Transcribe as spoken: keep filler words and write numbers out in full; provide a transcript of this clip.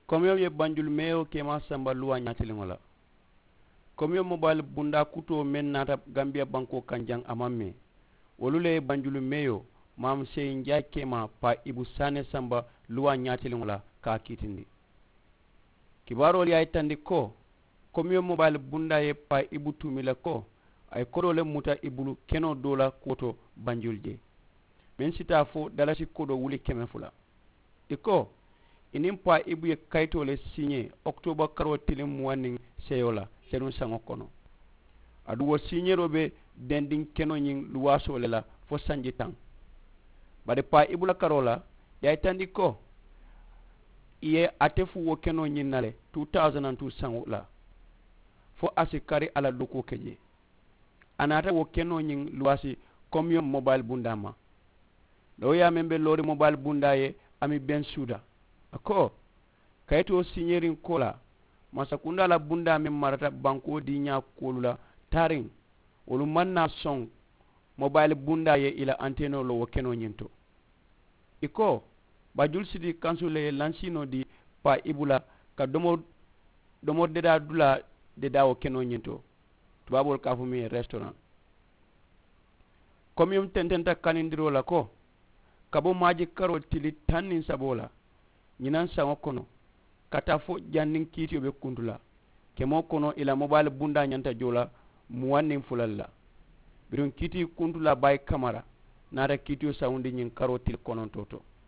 Komiyoŋ ye banjulu meeyoo keemaa samba luwaa ñaatiliŋo la. Komiyoŋ mobayili bundaa kutoo meŋ naata gambiya bankoo kaŋ jaŋ a maŋ mee. Wolu le ye banjulu meeyoo maamu seeyiŋ jaay keemaa paa ibu saane samba luwaa ñaatiliŋo la ka a kiitindi. Kibaaroolu ye a yitandi ko komiyoŋ mobayili bundaa ye paa ibu tuumi le ko a ye kodoo le muta i bulu kenoo doo la kuwo to banjulu jee, meŋ si taa fo dalasi kodoo wuli keme fula. I ko i niŋ paa ibu ye kayitoo le siiñee okitooba karoo tiliŋ muwaŋ niŋ seeyoo la senuŋ saŋo kono. Aduŋ wo siiñeeroo be dendiŋ kenoo ñiŋ luwaasoo le la fo sanji taŋ. Bari paa ibu la karoo la i ye a yitandi ko i ye ate fuu wo kenoo ñiŋ na le two thousand and two saŋo la fo a si kari a la dookuwo ke jee. A naata wo kenoo ñiŋ luwaasi komiyoŋ mobayili bundaa ma. Looyaa meŋ be loori mobayili bundaa ye a mi beŋ suuda a ko kayitoo siiñeeriŋ koolaa mansakundaa la bundaa meŋ marata bankoo diiñaa kuwolu la taariŋ wolu maŋ naa soŋ mobayili bundaa ye i la anteenoo loo wo kenoo ñiŋ to. I ko bajul siti kansu le ye lansiinoo dii paa ibu la ka domori domori dedaa dulaa dedaa wo kenoo ñiŋ to. Tubaaboolu ka a fo miŋ ye restoraŋ. Komiyoŋ tententa kanindiroo la ko ka bo maaji karoo tili taŋ niŋ saboo la ñinaŋ saŋo kono ka taa fo janniŋ kiitiyo be kuntu la kemoo kono i la mobayili bundaa ñanta joo la muwaŋ niŋ fula le la. Biriŋ kiitii kuntulaa baayi kamara naata kiitiyo sawundi ñiŋ karoo tili konontoo to.